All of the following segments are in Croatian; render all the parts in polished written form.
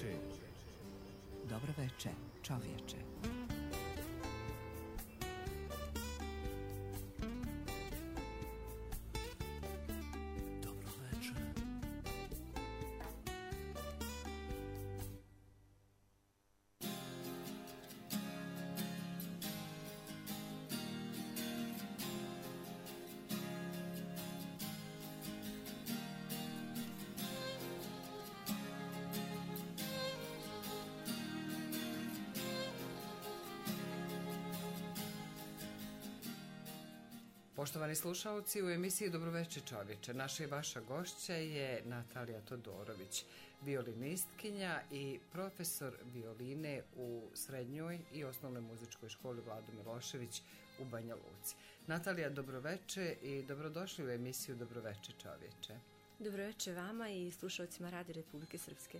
veče. Dobro veče, čovječe. Poštovani slušalci, u emisiji Dobroveče čovječe naša i vaša gošća je Natalija Todorović, violinistkinja i profesor violine u srednjoj i osnovnoj muzičkoj školi Vlado Milošević u Banja Luci. Natalija, dobroveče i dobrodošli u emisiju Dobroveče čovječe. Dobroveče vama i slušalcima Radija Republike Srpske.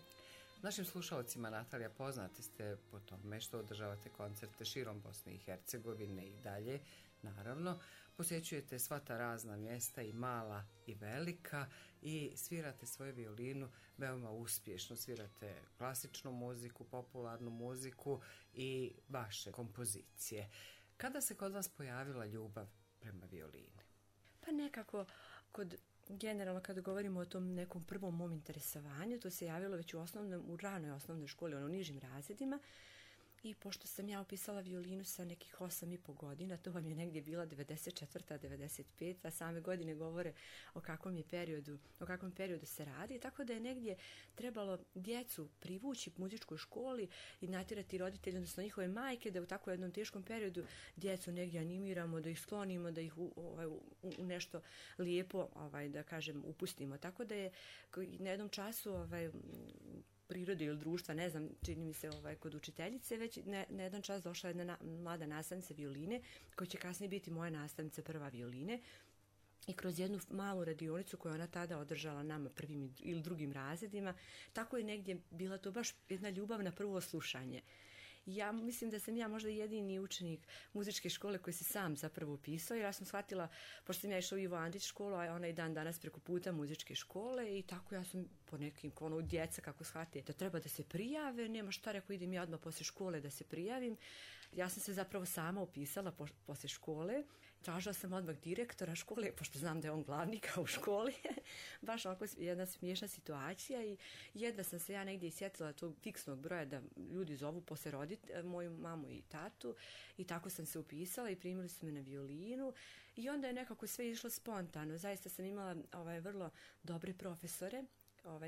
Našim slušalcima, Natalija, poznati ste po tome što održavate koncerte širom Bosne i Hercegovine i dalje, naravno. Posjećujete sva ta razna mjesta, i mala i velika, i svirate svoju violinu veoma uspješno. Svirate klasičnu muziku, popularnu muziku i vaše kompozicije. Kada se kod vas pojavila ljubav prema violini? Pa nekako generalno kada govorimo o tom nekom prvom mom interesovanju, to se javilo već u ranoj osnovnoj školi, u nižim razredima. I pošto sam ja upisala violinu sa nekih 8,5 godina, to vam je negdje bila 94. 95. a same godine govore o kakvom periodu se radi, tako da je negdje trebalo djecu privući muzičkoj školi i natjerati roditelji, odnosno njihove majke, da u tako jednom teškom periodu djecu negdje animiramo, da ih sklonimo, da ih u nešto lijepo, da kažem, upustimo. Tako da je na jednom času prirode ili društva, ne znam, čini mi se kod učiteljice, već na jedan čas došla jedna mlada nastavnica violine, koja će kasnije biti moja nastavnica prva violine, i kroz jednu malu radionicu koju ona tada održala nama prvim ili drugim razredima, tako je negdje bila to baš jedna ljubav na prvo slušanje. Ja mislim da sam ja možda jedini učenik muzičke škole koji se sam zapravo upisao, jer ja sam shvatila, pošto sam ja išla u Ivo Andrić školu, a ona i dan danas preko puta muzičke škole, i tako ja sam po nekim djeca kako shvate da treba da se prijave, nema šta, rekao, idem ja odmah poslije škole da se prijavim. Ja sam se zapravo sama upisala poslije škole, tražila sam odmah direktora škole, pošto znam da je on glavnika u školi, baš onako jedna smiješna situacija, i jedva sam se ja negdje isjetila tog fiksnog broja da ljudi zovu poslije roditi moju mamu i tatu, i tako sam se upisala i primili su me na violinu, i onda je nekako sve išlo spontano. Zaista sam imala vrlo dobre profesore.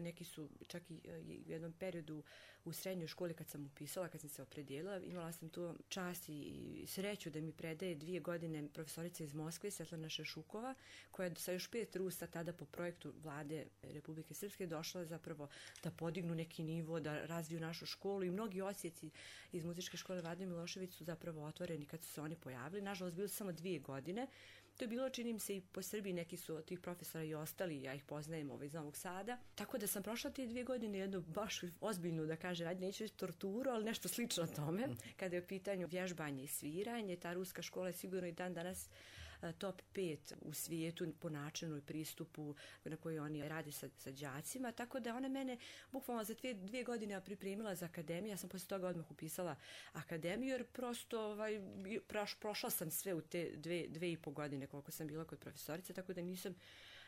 Neki su čak i u jednom periodu u srednjoj školi kad sam upisala, kad sam se opredijelila, imala sam tu čast i sreću da mi predaje 2 godine profesorica iz Moskve, Svetlana Šešukova, koja je sa još 5 Rusa tada po projektu Vlade Republike Srpske došla zapravo da podignu neki nivo, da razviju našu školu, i mnogi odsjeci iz muzičke škole Vlade Milošević su zapravo otvoreni kad su se oni pojavili. Nažalost, bilo su samo 2 godine. To je bilo, čini mi se, i po Srbiji, neki su od tih profesora i ostali, ja ih poznajem iz Novog Sada. Tako da sam prošla te 2 godine jednu baš ozbiljnu, da kažem, neću reći torturu, ali nešto slično tome. Kada je u pitanju vježbanje i sviranje, ta ruska škola je sigurno i dan danas top 5 u svijetu po načinu i pristupu na koji oni rade sa đacima. Tako da ona mene bukvalno za 2 godine pripremila za akademiju. Ja sam poslije toga odmah upisala akademiju, jer prosto prošla sam sve u te 2,5 godine koliko sam bila kod profesorice, tako da nisam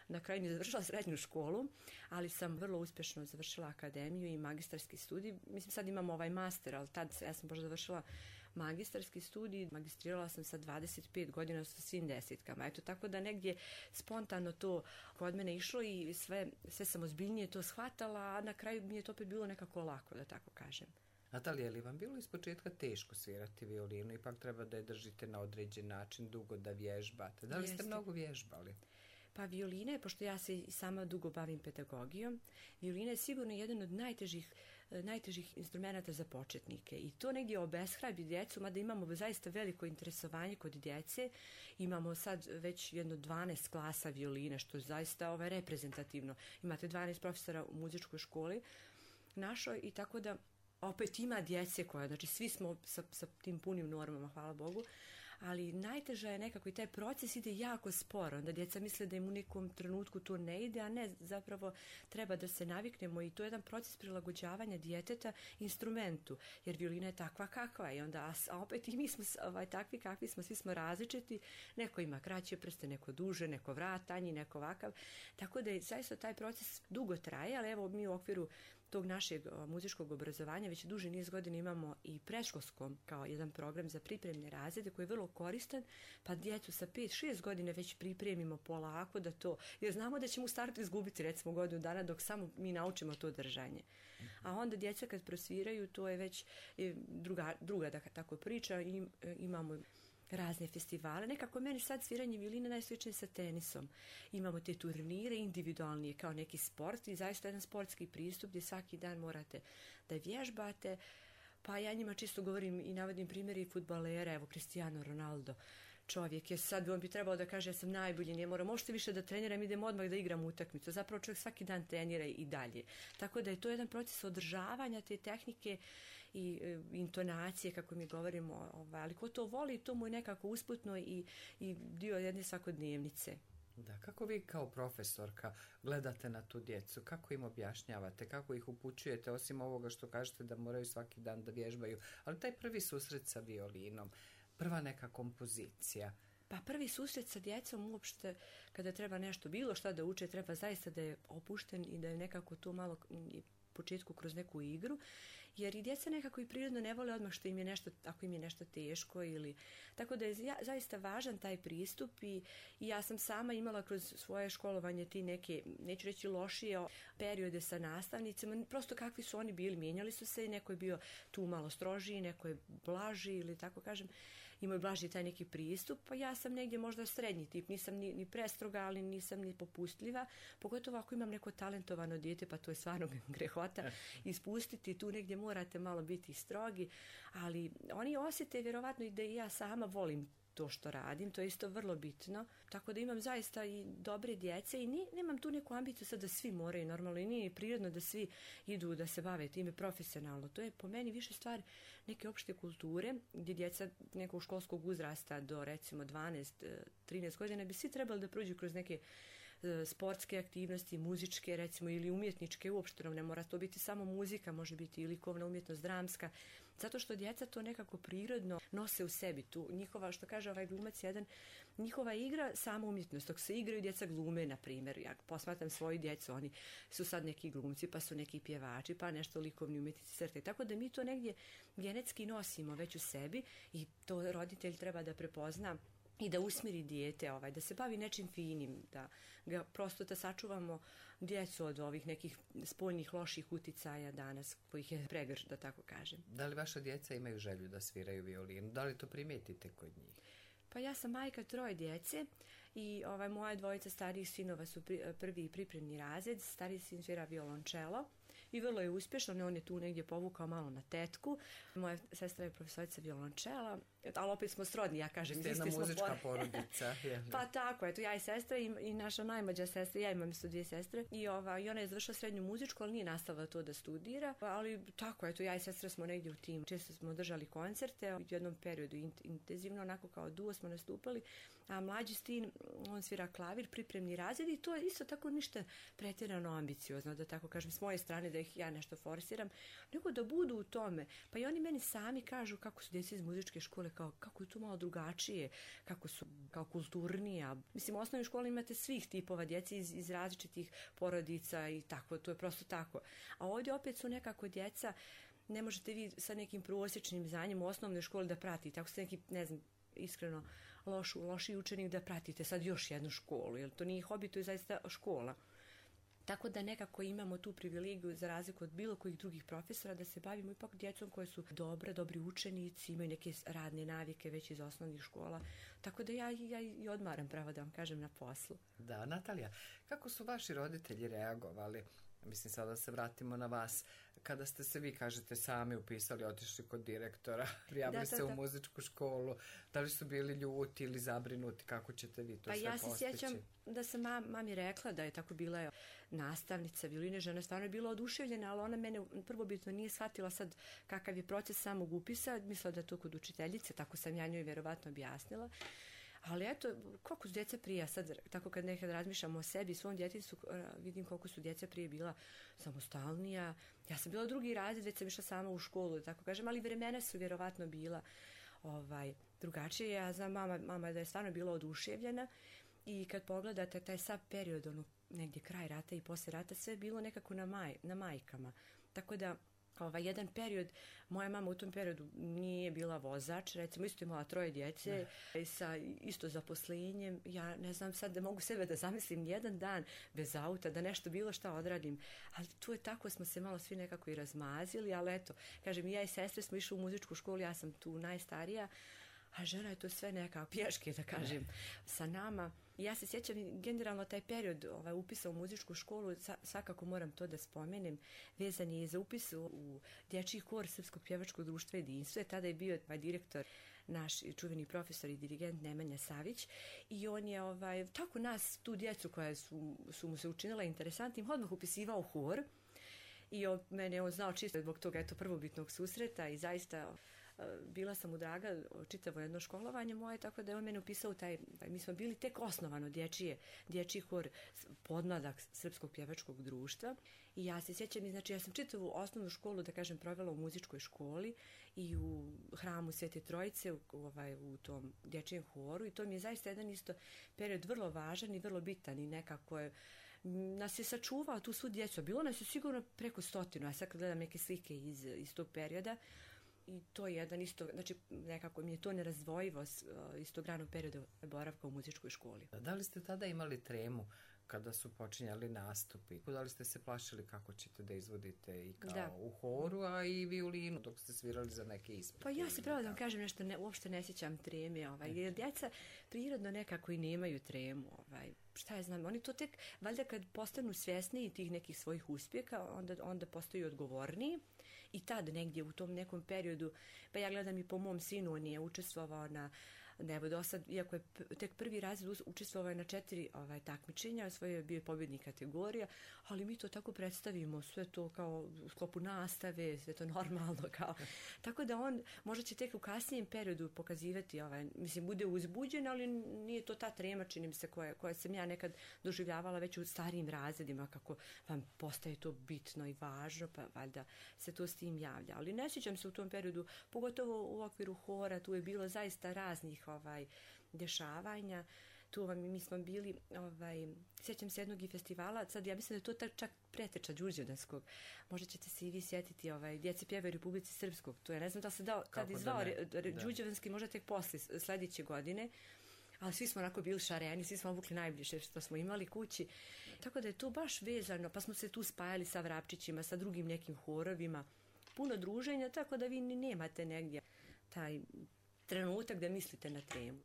na kraju ni završila srednju školu, ali sam vrlo uspješno završila akademiju i magistarski studij. Mislim, sad imam master, ali tad ja sam baš završila magistarski studij, magistrirala sam sa 25 godina sa svim desetkama. Eto, tako da negdje spontano to kod mene išlo i sve sam ozbiljnije to shvatala, a na kraju mi je to opet bilo nekako lako, da tako kažem. Natalija, je li vam bilo ispočetka teško svirati violinu? Ipak treba da je držite na određen način, dugo da vježbate. Da li ste mnogo vježbali? Pa violina je, pošto ja se i sama dugo bavim pedagogijom, violina je sigurno jedan od najtežih instrumenta za početnike, i to negdje obeshrabi djecu, mada imamo zaista veliko interesovanje kod djece. Imamo sad već jedno 12 klasa violine, što je zaista reprezentativno. Imate 12 profesora u muzičkoj školi našoj, i tako da opet ima djece koja, znači svi smo sa tim punim normama, hvala Bogu, ali najteža je nekako i taj proces ide jako sporo. Onda djeca misle da im u nekom trenutku to ne ide, a ne, zapravo treba da se naviknemo i to je jedan proces prilagođavanja djeteta instrumentu, jer violina je takva kakva je, onda, a opet i mi smo takvi kakvi smo, svi smo različiti, neko ima kraće prste, neko duže, neko vrat tanji, neko ovakav, tako da je zaista taj proces dugo traje, ali evo mi u okviru tog našeg muzičkog obrazovanja već duži niz godina imamo i predškolskom kao jedan program za pripremne razrede koji je vrlo koristan, pa djecu sa 5-6 godina već pripremimo polako da to, jer znamo da ćemo u startu izgubiti recimo godinu dana dok samo mi naučimo to držanje. A onda djeca kad prosviraju to je već druga da tako priča i imamo razne festivale. Nekako meni sad sviranje violine najsličnije sa tenisom. Imamo te turnire individualnije kao neki sport i zaista jedan sportski pristup gdje svaki dan morate da vježbate. Pa ja njima čisto govorim i navodim primjeri fudbalera, evo Cristiano Ronaldo. Čovjek je sad, on bi trebao da kaže ja sam najbolji, ne moram, možete više da treniram, idem odmah da igram utakmicu. Zapravo čovjek svaki dan trenira i dalje. Tako da je to jedan proces održavanja te tehnike i intonacije, kako mi govorimo, ali ko to voli, to mu je nekako usputno i dio jedne svakodnevnice. Da, kako vi kao profesorka gledate na tu djecu, kako im objašnjavate, kako ih upućujete, osim ovoga što kažete da moraju svaki dan da vježbaju, ali taj prvi susret sa violinom, prva neka kompozicija. Pa prvi susret sa djecom uopšte, kada treba nešto, bilo šta da uče, treba zaista da je opušten i da je nekako to malo početku kroz neku igru, jer i djeca nekako i prirodno ne vole odmah što im je nešto, ako im je nešto teško ili, tako da je zaista važan taj pristup i ja sam sama imala kroz svoje školovanje ti neke, neću reći lošije periode sa nastavnicima, prosto kakvi su oni bili, mijenjali su se i neko je bio tu malo strožiji, neko je blaži ili tako kažem, imao je blaži taj neki pristup, pa ja sam negdje možda srednji tip, nisam ni prestroga, ali nisam ni popustljiva, pogotovo ako imam neko talentovano dijete, pa to je stvarno grehota ispustiti, tu negdje morate malo biti strogi, ali oni osjete vjerovatno i da i ja sama volim to što radim, to je isto vrlo bitno, tako da imam zaista i dobre djece i nemam tu neku ambiciju sad da svi moraju normalno i nije prirodno da svi idu da se bave time profesionalno, to je po meni više stvar neke opšte kulture gdje djeca nekog školskog uzrasta do recimo 12-13 godina bi svi trebali da prođu kroz neke sportske aktivnosti, muzičke recimo ili umjetničke, uopšte ne mora to biti samo muzika, može biti i likovna umjetnost, dramska, zato što djeca to nekako prirodno nose u sebi tu. Njihova, što kaže ovaj glumac jedan, njihova igra sama umjetnost, dok se igraju djeca glume, na primjer, ja posmatram svoju djecu, oni su sad neki glumci, pa su neki pjevači, pa nešto likovni umjetnici crte, tako da mi to negdje genetski nosimo već u sebi i to roditelj treba da prepozna i da usmiri dijete, da se bavi nečim finim, da ga prosto da sačuvamo djecu od ovih nekih spoljnih loših uticaja danas, kojih je pregrš, da tako kažem. Da li vaša djeca imaju želju da sviraju violinu? Da li to primijetite kod njih? Pa ja sam majka 3 djece i moja 2 starijih sinova su prvi i pripremni razred, stariji sin svira violončelo i vrlo je uspješno, on je tu negdje povukao malo na tetku. Moja sestra je profesorica violončela, ali opet smo srodni, ja kažem. Ste jedna muzička porodica. Pa tako, eto, ja i sestra i naša najmlađa sestra, ja imam isto 2 sestre i ona je završila srednju muzičku, ali nije nastavila to da studira, ali tako, eto, ja i sestra smo negdje u timu. Često smo držali koncerte, u jednom periodu intenzivno, onako kao duo smo nastupali, a mlađi sin, on svira klavir, pripremni razred i to je isto tako ništa pretjerano ambiciozno, da tako kažem, s moje strane da ih ja nešto forsiram, nego da budu u tome. Pa i oni meni sami kažu kako su djeca iz muzičke škole, kako je to malo drugačije, kako su kao kulturnija. Mislim, u osnovnoj školi imate svih tipova djece iz različitih porodica i tako, to je prosto tako. A ovdje opet su nekako djeca, ne možete vi sa nekim prosječnim znanjem u osnovnoj školi da pratite, ako ste neki, ne znam, iskreno loši učenik da pratite sad još jednu školu, jer to nije hobi, to je zaista škola. Tako da nekako imamo tu privilegiju za razliku od bilo kojih drugih profesora da se bavimo ipak djecom koje su dobri učenici, imaju neke radne navike već iz osnovnih škola. Tako da ja i odmaram, pravo da vam kažem, na poslu. Da, Natalija, kako su vaši roditelji reagovali Mislim, sada se vratimo na vas. Kada ste se vi, kažete, sami upisali, otišli kod direktora, prijavili se u muzičku školu, da li su bili ljuti ili zabrinuti, kako ćete vi to sve postići? Pa ja se sjećam da sam mami rekla da je tako bila nastavnica violine, žena je stvarno bila oduševljena, ali ona mene prvobitno nije shvatila sad kakav je proces samog upisa, mislila da je to kod učiteljice, tako sam ja njoj vjerovatno objasnila. Ali eto, koliko su djeca prije, sad tako kad nekad razmišljam o sebi, svom djetinjstvu, vidim koliko su djeca prije bila samostalnija. Ja sam bila drugi razred, već sam išla sama u školu, tako kažem, ali vremena su vjerovatno bila drugačije. Ja znam mama da je stvarno bila oduševljena i kad pogledate taj sav period, negdje kraj rata i poslije rata, sve je bilo nekako na majkama. Tako da jedan period, moja mama u tom periodu nije bila vozač, recimo isto imala 3 djece sa isto zaposlenjem. Ja ne znam sad da mogu sebe da zamislim jedan dan bez auta, da nešto bilo šta odradim, ali tu je tako, smo se malo svi nekako i razmazili, ali eto, kažem, ja i sestre smo išli u muzičku školu, ja sam tu najstarija, a žena je to sve nekako pješke, da kažem, sa nama. Ja se sjećam generalno taj period upisa u muzičku školu, svakako moram to da spomenem, vezan je za upis u dječji hor Srpskog pjevačkog društva Jedinstvo. Tada je bio direktor, naš čuveni profesor i dirigent Nemanja Savić, i on je tako nas, tu djecu koja su mu se učinila interesantnim, odmah upisivao hor i mene on znao čisto zbog toga prvobitnog susreta i zaista bila sam mu draga čitavo jedno školovanje moje, tako da je on mene upisao mi smo bili tek osnovano dječji hor podmladak Srpskog pjevačkog društva i ja se sjećam, znači ja sam čitavu osnovnu školu, da kažem, provela u muzičkoj školi i u hramu Svete Trojice u tom dječjem horu i to mi je zaista jedan isto period vrlo važan i vrlo bitan i nekako je nas je sačuvao tu svu djecu. Bilo nas je sigurno preko 100, a sad kad gledam neke slike iz tog perioda, i to je jedan isto, znači nekako mi je to nerazdvojivo iz tog ranog perioda boravka u muzičkoj školi. Da li ste tada imali tremu kada su počinjali nastupi? Da li ste se plašili kako ćete da izvodite i kao u horu, a i violinu dok ste svirali za neke ispite? Pa ja se pravo da vam kažem nešto, uopšte ne sjećam treme, jer djeca prirodno nekako i nemaju tremu. Šta ja znam, oni to tek, valjda kad postanu svjesniji tih nekih svojih uspjeha, onda postaju odgovorniji. I tad negdje u tom nekom periodu, pa ja gledam i po mom sinu, on je učestvovao do sad, iako je tek prvi razred, učestvovao je na 4 takmičenja, svoje je bio pobjednik kategorija, ali mi to tako predstavimo, sve to kao u sklopu nastave, sve to normalno kao. Tako da on možda će tek u kasnijem periodu pokazivati, mislim, bude uzbuđen, ali nije to ta trema, čini mi se, koja sam ja nekad doživljavala već u starijim razredima, kako vam postaje to bitno i važno, pa valjda se to s tim javlja. Ali ne sjećam se u tom periodu, pogotovo u okviru hora, tu je bilo zaista raznih dešavanja. Tu mi smo bili, sjećam se jednog i festivala, sad ja mislim da je to čak preteča Đurđevdanskog. Možda ćete se i vi sjetiti, Djeci pjevaju Republici Srpskog. To je, ne znam da se tad izvao Đurđevdanski, možda tek posle sljedeće godine, ali svi smo onako bili šareni, svi smo obukli najbliže što smo imali kući. Tako da je to baš vezano, pa smo se tu spajali sa Vrapčićima, sa drugim nekim horovima, puno druženja, tako da vi ni nemate negdje taj trenutak da mislite na tremu.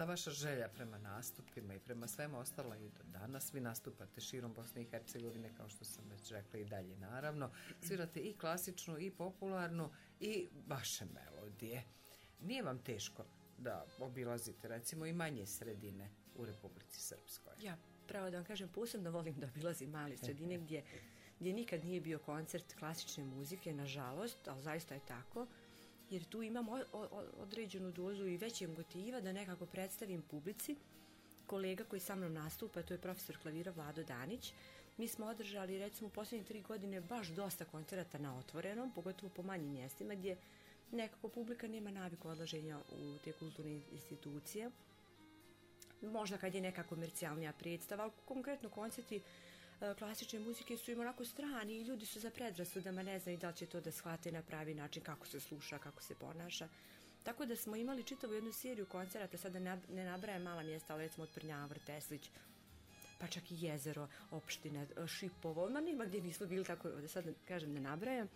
ta vaša želja prema nastupima i prema svemu ostalo i do danas, vi nastupate širom Bosne i Hercegovine, kao što sam već rekla, i dalje naravno, svirate i klasičnu i popularnu i vaše melodije. Nije vam teško da obilazite recimo i manje sredine u Republici Srpskoj? Ja, pravo da vam kažem, posebno volim da obilazim male sredine gdje nikad nije bio koncert klasične muzike, nažalost, ali zaista je tako, jer tu imam određenu dozu i većeg motiva da nekako predstavim publici. Kolega koji sa mnom nastupa, to je profesor klavira Vlado Danić. Mi smo održali recimo u posljednje 3 godine baš dosta koncerata na otvorenom, pogotovo po manjim mjestima gdje nekako publika nema naviku odlaženja u te kulturne institucije. Možda kad je neka komercijalnija predstava, ali konkretno koncerti klasične muzike su im onako strani i ljudi su za predrasudama, ne znaju da li će to da shvate na pravi način, kako se sluša, kako se ponaša. Tako da smo imali čitavu jednu seriju koncerata, sada ne nabrajam mala mjesta, ali recimo od Prnjavor, Teslić, pa čak i Jezero, Opština, Šipovo, ma nema gdje nismo bili, tako da sad kažem ne nabrajam,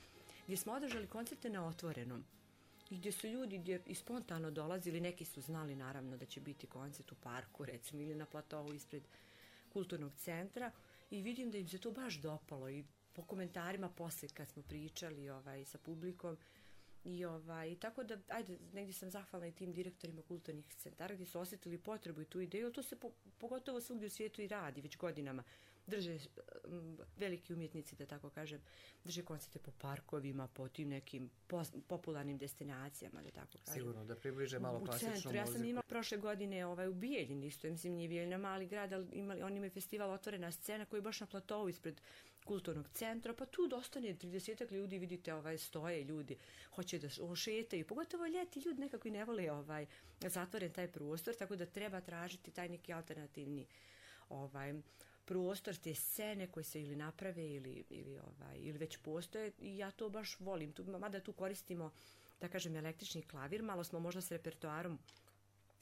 gdje smo održali koncerte na otvorenom. I gdje su ljudi i spontano dolazili, neki su znali naravno da će biti koncert u parku, recimo, ili na platovu ispred kulturnog centra, i vidim da im se to baš dopalo i po komentarima poslije kad smo pričali sa publikom i tako da, ajde, negdje sam zahvalna i tim direktorima kulturnih centara gdje su osjetili potrebu i tu ideju, to se pogotovo svugdje u svijetu i radi već godinama. Drže veliki umjetnici, da tako kažem, drže koncerte po parkovima, po tim nekim popularnim destinacijama, da tako kažem. Sigurno, da približe malo klasičnu muziku. Ja sam imala prošle godine u Bijeljini, isto, mislim, nije Bijeljina mali grad, ali oni imaju festival Otvorena scena koji je baš na platovu ispred kulturnog centra, pa tu dostane 30 ljudi, vidite, stoje ljudi, hoće da šetaju, pogotovo ljeti ljudi nekako i ne vole zatvoren taj prostor, tako da treba tražiti taj neki alternativni prostor, te scene koje se ili naprave ili već postoje, i ja to baš volim. Mada tu koristimo, da kažem, električni klavir, malo smo možda s repertoarom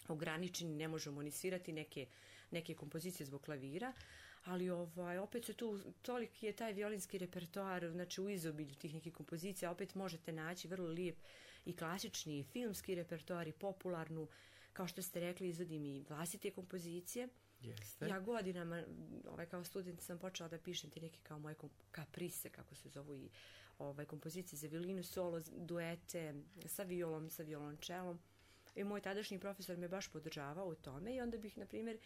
ograničeni, ne možemo ni svirati neke kompozicije zbog klavira, ali opet se tu, toliki je taj violinski repertoar, znači u izobilju tih nekih kompozicija, opet možete naći vrlo lijep i klasični i filmski repertoar i popularnu, kao što ste rekli, izvodim i vlastite kompozicije. Jeste. Ja godinama, kao student sam počela da pišem ti neke kao moje kaprise, kako se zovu, i kompozicije za violinu, solo, duete sa violom, sa violončelom. I moj tadašnji profesor me baš podržavao u tome i onda bih, na primjer,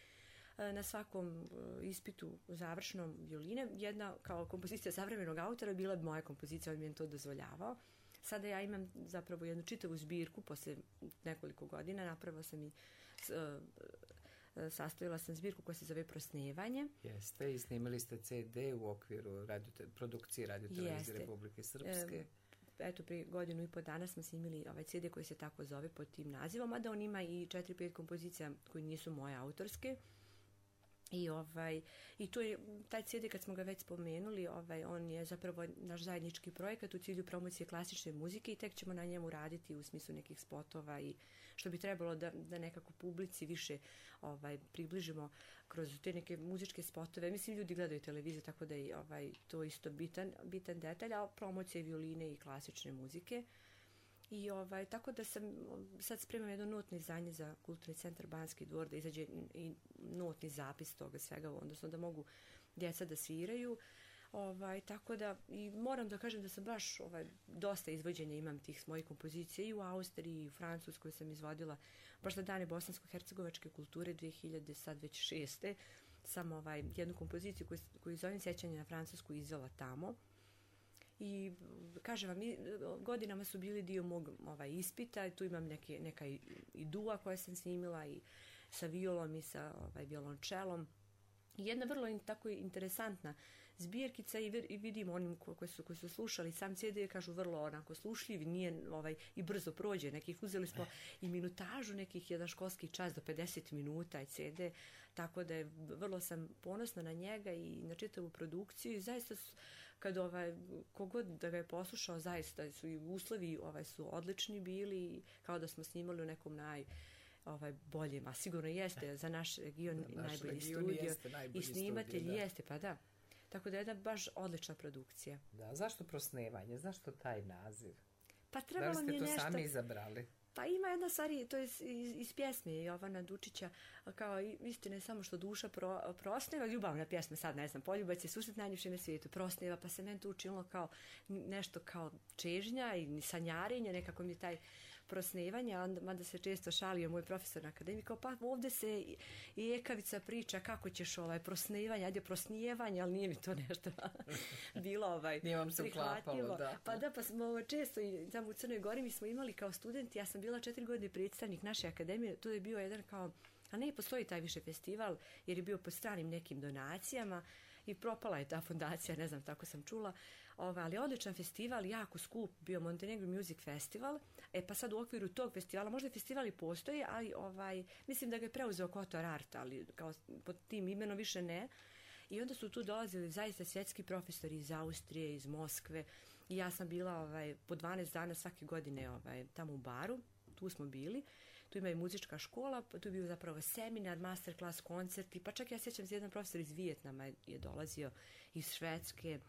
na svakom ispitu završnom violine, jedna kao kompozicija savremenog autora bila bi moja kompozicija, on mi je to dozvoljavao. Sada ja imam zapravo jednu čitavu zbirku, posle nekoliko godina napravila sam i sastavila sam zbirku koja se zove Prosnevanje. Jeste, i snimili ste CD u okviru produkcije Radio-televizije Republike Srpske. Eto, prije 1.5 godina dana smo snimili CD koji se tako zove pod tim nazivom, a da on ima i 4-5 kompozicija koji nisu moje autorske. I to je, taj CD, kad smo ga već spomenuli, on je zapravo naš zajednički projekat u cilju promocije klasične muzike i tek ćemo na njemu raditi u smislu nekih spotova i što bi trebalo da nekako publici više približimo kroz te neke muzičke spotove. Mislim, ljudi gledaju televiziju, tako da je to isto bitan detalj, a promocija violine i klasične muzike. I tako da sam sad spremam jedno notno izdanje za Kulturni centar Banski dvor, da izađe i notni zapis toga svega, odnosno da mogu djeca da sviraju. Tako da, i moram da kažem da sam baš dosta izvođenja imam tih mojih kompozicija i u Austriji i u Francuskoj sam izvodila baš na dane bosansko-hercegovačke kulture 2006. Sam jednu kompoziciju koju zovem Sjećanje na Francusku izvela tamo. I kažem vam, godinama su bili dio mog ispita, tu imam neka i dua koje sam snimila i sa violom i sa violončelom. I jedna vrlo tako interesantna zbirkica i vidim onim koji su slušali sam CD, kažu vrlo onako slušljiv, nije i brzo prođe. Uzeli smo i minutažu, jedan školski čas do 50 minuta i CD, tako da je vrlo sam ponosna na njega i na čitavu produkciju i zaista kad kogod da ga je poslušao, zaista su i uslovi su odlični bili, kao da smo snimali u nekom boljem, a sigurno jeste za naš region najbolji studio i snimatelj jeste, pa da. Tako da je jedna baš odlična produkcija. Da, zašto Prosnevanje? Zašto taj naziv? Pa trebalo mi je nešto... Da li ste to nešto... sami izabrali? Pa ima jedna stvar, to je iz pjesme Jovana Dučića, kao istina je samo što duša prosneva, ljubavna pjesma, sad ne znam, poljubac je susret najljepši na svijetu, prosneva, pa se meni to učinilo kao nešto kao čežnja i sanjarenje, nekako mi je taj prosnevanje, mada se često šalio moj profesor na akademiji, kao pa ovdje se i ekavica priča kako ćeš prosnevanje, ajde prosnijevanje, ali nije mi to nešto bilo nije vam se uklapalo, da. Pa da, pa smo često i tamo u Crnoj Gori mi smo imali kao studenti, ja sam bila 4 godine predstavnik naše akademije, to je bio jedan kao, a ne postoji taj više festival, jer je bio po stranim nekim donacijama i propala je ta fondacija, ne znam, tako sam čula, ali odličan festival, jako skup, bio Montenegro Music Festival, pa sad u okviru tog festivala, možda festival i postoji, ali mislim da ga je preuzeo Kotor Art, ali kao pod tim imenom više ne. I onda su tu dolazili zaista svjetski profesori iz Austrije, iz Moskve, i ja sam bila po 12 dana svake godine tamo u baru, tu smo bili. Tu ima i muzička škola, tu je bio zapravo seminar, masterclass, koncerti, pa čak ja sjećam se jedan profesor iz Vijetnama je dolazio, iz Švedske.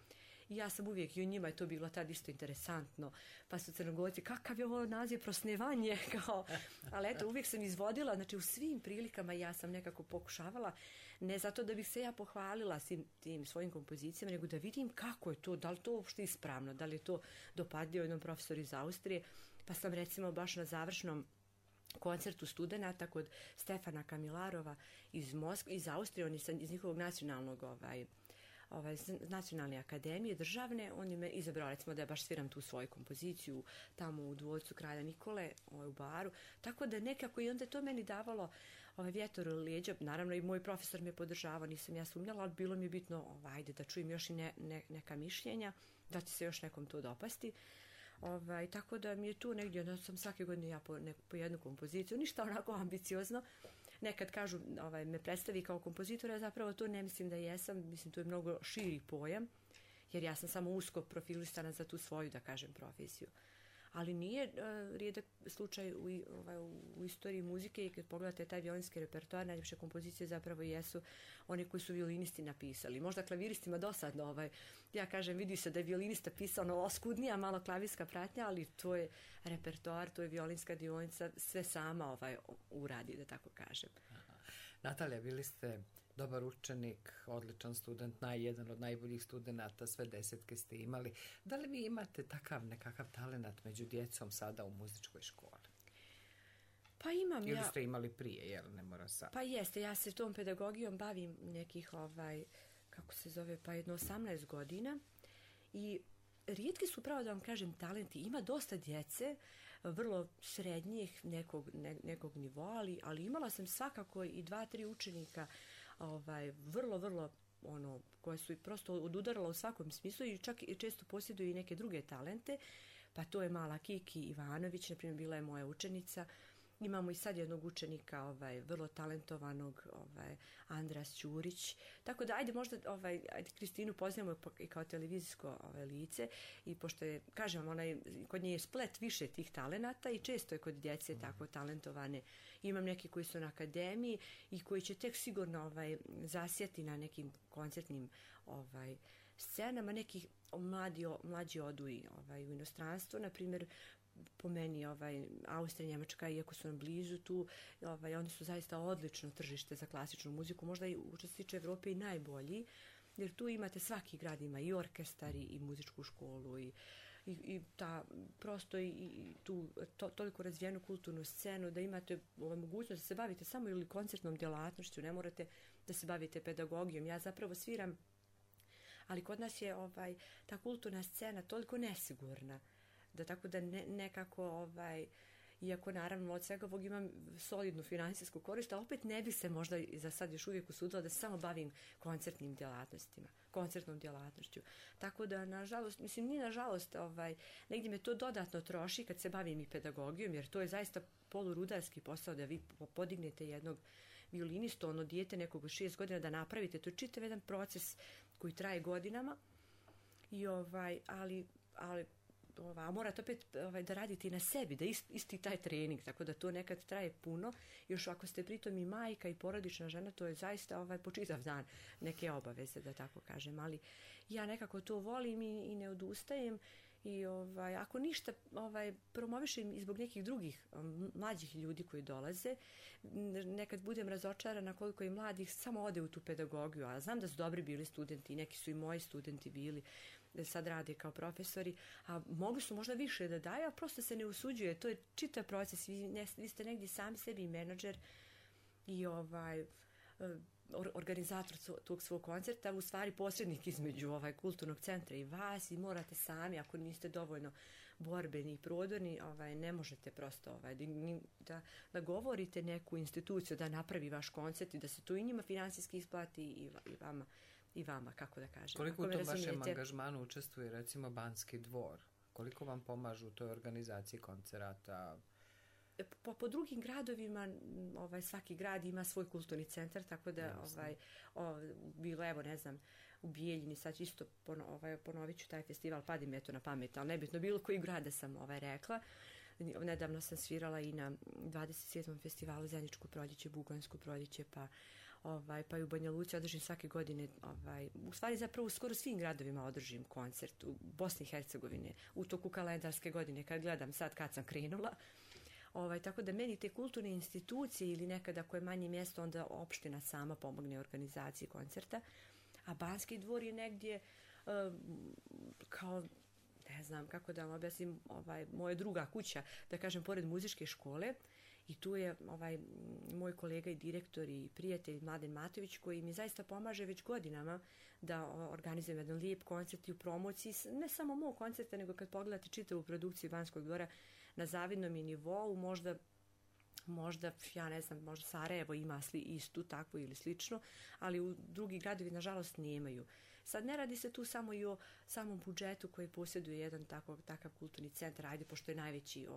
I ja sam uvijek, i u njima je to bilo tad isto interesantno, pa su Crnogorci, kakav je ovo naziv, prosnevanje, kao, ali eto, uvijek sam izvodila, znači u svim prilikama ja sam nekako pokušavala, ne zato da bih se ja pohvalila tim svojim kompozicijama, nego da vidim kako je to, da li to uopšte ispravno, da li je to dopadljivo jednom profesoru iz Austrije, pa sam recimo baš na završnom koncertu studenata kod Stefana Kamilarova iz Austrije, on je iz njihovog nacionalnog nacionalne akademije državne, on je me izabrao recimo da ja baš sviram tu svoju kompoziciju tamo u dvorcu Kralja Nikole u baru, tako da nekako i onda je to meni davalo vjetar u leđa, naravno i moj profesor me podržavao, nisam ja sumnjala, ali bilo mi je bitno ajde da čujem još i neka mišljenja, da će se još nekom to dopasti. Tako da mi je tu negdje, onda sam svake godine ja po jednu kompoziciju, ništa onako ambiciozno. Nekad kažu, me predstavi kao kompozitora, zapravo to ne mislim da jesam, mislim to je mnogo širi pojam, jer ja sam samo usko profilisana za tu svoju, da kažem, profesiju. Ali nije rijedak slučaj u istoriji muzike i kad pogledate taj violinski repertoar, najljepše kompozicije zapravo jesu one koji su violinisti napisali. Možda klaviristima dosadno, ja kažem, vidi se da je violinista pisao oskudnija, malo klavirska pratnja, ali to je repertoar, to je violinska dionica, sve sama uradi, da tako kažem. Natalija, bili ste dobar učenik, odličan student, jedan od najboljih studenata, sve 10 ste imali. Da li vi imate takav nekakav talenat među djecom sada u muzičkoj školi? Pa imam Ili ste imali prije, jel ne mora sad? Pa jeste, ja se tom pedagogijom bavim nekih, kako se zove, pa jedno 18 godina i rijetki su, pravo da vam kažem, talenti. Ima dosta djece, vrlo srednjih nekog nivoa, ali imala sam svakako i 2-3 učenika vrlo koje su prosto odudarala u svakom smislu i čak i često posjeduju i neke druge talente, pa to je mala Kiki Ivanović, na primjer bila je moja učenica. Imamo i sad jednog učenika, vrlo talentovanog, Andras Ćurić. Tako da, ajde možda Kristinu poznajemo i kao televizijsko lice i pošto je, kažem, kod nje je splet više tih talenata i često je kod djece tako talentovane. Imam neki koji su na akademiji i koji će tek sigurno zasjeti na nekim koncertnim scenama. Neki mlađi odu u inostranstvo, na primjer, po meni Austrija, Njemačka, iako su nam blizu tu, oni su zaista odlično tržište za klasičnu muziku, možda i što se tiče Evrope i najbolji, jer tu imate, svaki grad ima i orkestar i muzičku školu i ta prosto i tu toliko razvijenu kulturnu scenu da imate mogućnost da se bavite samo ili koncertnom djelatnošću, ne morate da se bavite pedagogijom. Ja zapravo sviram, ali kod nas je ta kulturna scena toliko nesigurna, da tako da nekako, iako naravno od svega ovog imam solidnu finansijsku korist, a opet ne bi se možda za sad još uvijek usudila da se samo bavim koncertnim djelatnostima, koncertnom djelatnošću. Tako da, nažalost, mislim, nije nažalost, negdje me to dodatno troši kad se bavim i pedagogijom, jer to je zaista polurudarski posao da vi podignete jednog violinistu, dijete nekog od 6 godina da napravite. To je čitav jedan proces koji traje godinama, ali morate opet da radite na sebi, da isti taj trening, tako da to nekad traje puno. Još ako ste pritom i majka i porodična žena, to je zaista po čitav dan neke obaveze, da tako kažem. Ali ja nekako to volim i ne odustajem I ako ništa promovišem i zbog nekih drugih mlađih ljudi koji dolaze, nekad budem razočarana koliko i mladih samo ode u tu pedagogiju, a znam da su dobri bili studenti, neki su i moji studenti bili, da sad rade kao profesori, a mogli su možda više da daju, a prosto se ne usuđuje, to je čitav proces, vi ste negdje sami sebi menadžer i organizator tog svog koncerta, u stvari posrednik između kulturnog centra i vas, i morate sami, ako niste dovoljno borbeni i prodorni, ne možete prosto da govorite neku instituciju da napravi vaš koncert i da se to i njima finansijski isplati i vama, kako da kažem. Koliko u tom vašem angažmanu učestvuje recimo Banski dvor? Koliko vam pomažu u toj organizaciji koncerata? Po drugim gradovima svaki grad ima svoj kulturni centar, tako da bilo, evo ne znam, u Bijeljini, sad isto ponovit ću taj festival, padi mi to na pamet, ali nebitno, bilo koji grada sam rekla. Nedavno sam svirala i na 27. festivalu Zeničko proljeće, Bugansko proljeće, pa i u Banja Luci održim svake godine, u stvari zapravo u skoro svim gradovima održim koncert, u Bosni i Hercegovine, u toku kalendarske godine, kad gledam sad kad sam krenula. Tako da meni te kulturne institucije ili nekada koje je manje mjesto, onda opština sama pomogne organizaciji koncerta, a Banski dvor je negdje kao, ne znam kako da vam objasnim, moja druga kuća, da kažem, pored muzičke škole, i tu je moj kolega i direktor i prijatelj Mladen Matović, koji mi zaista pomaže već godinama da organizujem jedan lijep koncert i u promociji, ne samo mog koncerta, nego kad pogledate čitavu produkciju Banskog dvora, na zavidnom je nivou, možda, ja ne znam, možda Sarajevo ima istu takvu ili slično, ali u drugi gradovi nažalost nemaju. Sad ne radi se tu samo i o samom budžetu koji posjeduje jedan takav kulturni centar, ajde, pošto je najveći